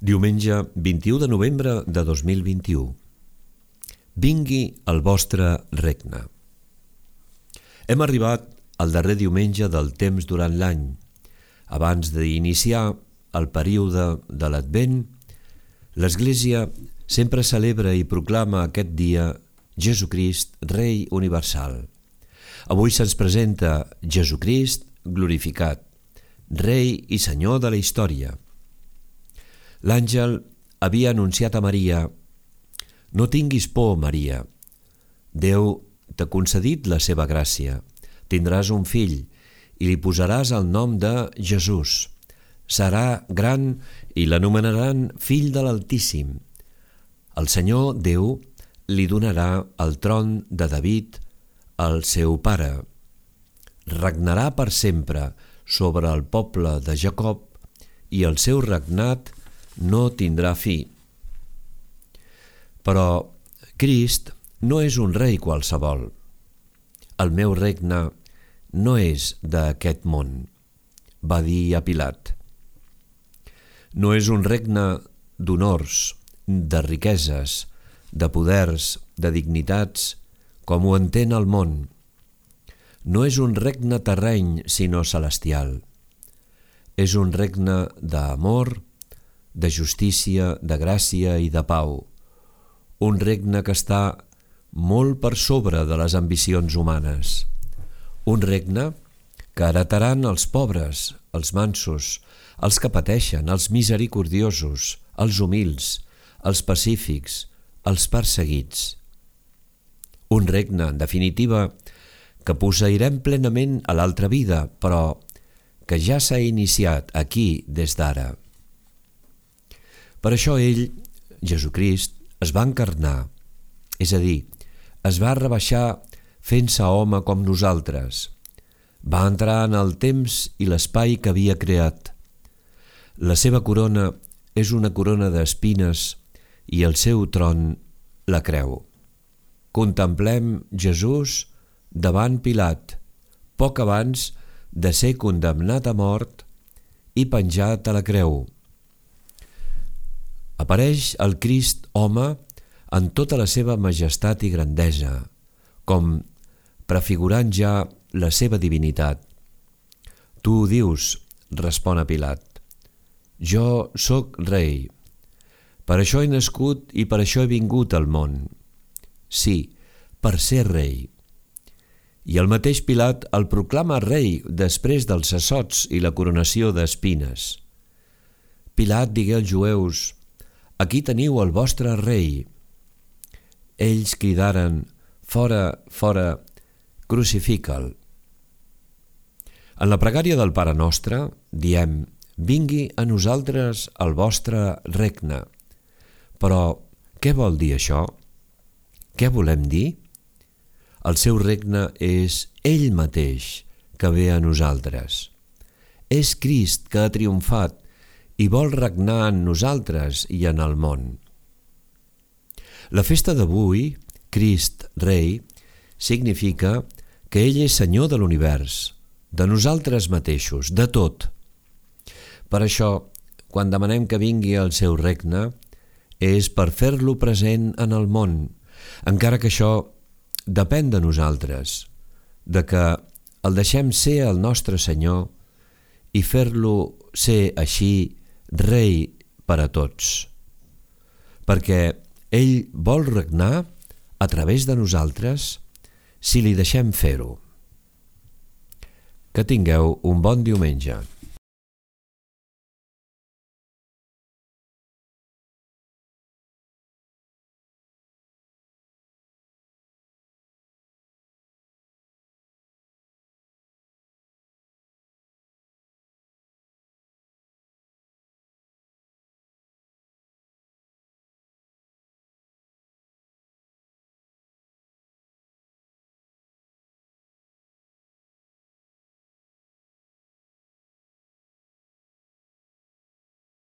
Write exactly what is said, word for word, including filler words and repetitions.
Diumenge vint-i-u de novembre de dos mil vint-i-u. Vingui el vostre regne. Hem arribat al darrer diumenge del temps durant l'any. Abans d'iniciar el període de l'Advent, l'Església sempre celebra i proclama aquest dia Jesucrist, Rei Universal. Avui se'ns presenta Jesucrist glorificat, Rei i Senyor de la història. L'àngel havia anunciat a Maria: «No tinguis por, Maria. Déu t'ha concedit la seva gràcia. Tindràs un fill i li posaràs el nom de Jesús. Serà gran i l'anomenaran Fill de l'Altíssim. El Senyor Déu li donarà el tron de David, el seu pare. Regnarà per sempre sobre el poble de Jacob i el seu regnat no tindrà fi». Però Crist no és un rei qualsevol. «El meu regne no és d'aquest món», va dir a Pilat. No és un regne d'honors, de riqueses, de poders, de dignitats, com ho entén el món. No és un regne terreny, sinó celestial. És un regne d'amor, de justícia, de gràcia i de pau. Un regne que està molt per sobre de les ambicions humanes. Un regne que heretaran els pobres, els mansos, els que pateixen, els misericordiosos, els humils, els pacífics, els perseguits. Un regne, en definitiva, que posseirem plenament a l'altra vida, però que ja s'ha iniciat aquí des d'ara. Per això ell, Jesucrist, es va encarnar, és a dir, es va rebaixar fent-se home com nosaltres. Va entrar en el temps i l'espai que havia creat. La seva corona és una corona d'espines i el seu tron la creu. Contemplem Jesús davant Pilat, poc abans de ser condemnat a mort i penjat a la creu. Apareix el Crist home en tota la seva majestat i grandesa, com prefigurant ja la seva divinitat. «Tu ho dius», respon a Pilat. «Jo sóc rei. Per això he nascut i per això he vingut al món. Sí, per ser rei». I el mateix Pilat el proclama rei després dels assots i la coronació d'espines. Pilat digué als jueus: «Aquí teniu el vostre rei». Ells cridaren: «Fora, fora, crucifica'l». En la pregària del Pare Nostre diem: «Vingui a nosaltres el vostre regne». Però què vol dir això? Què volem dir? El seu regne és ell mateix que ve a nosaltres. És Crist que ha triomfat i vol regnar en nosaltres i en el món. La festa d'avui, Crist Rei, significa que ell és Senyor de l'univers, de nosaltres mateixos, de tot. Per això, quan demanem que vingui el seu regne, és per fer-lo present en el món, encara que això depèn de nosaltres, de que el deixem ser el nostre Senyor i fer-lo ser així Rei per a tots, perquè ell vol regnar a través de nosaltres si li deixem fer-ho. Que tingueu un bon diumenge.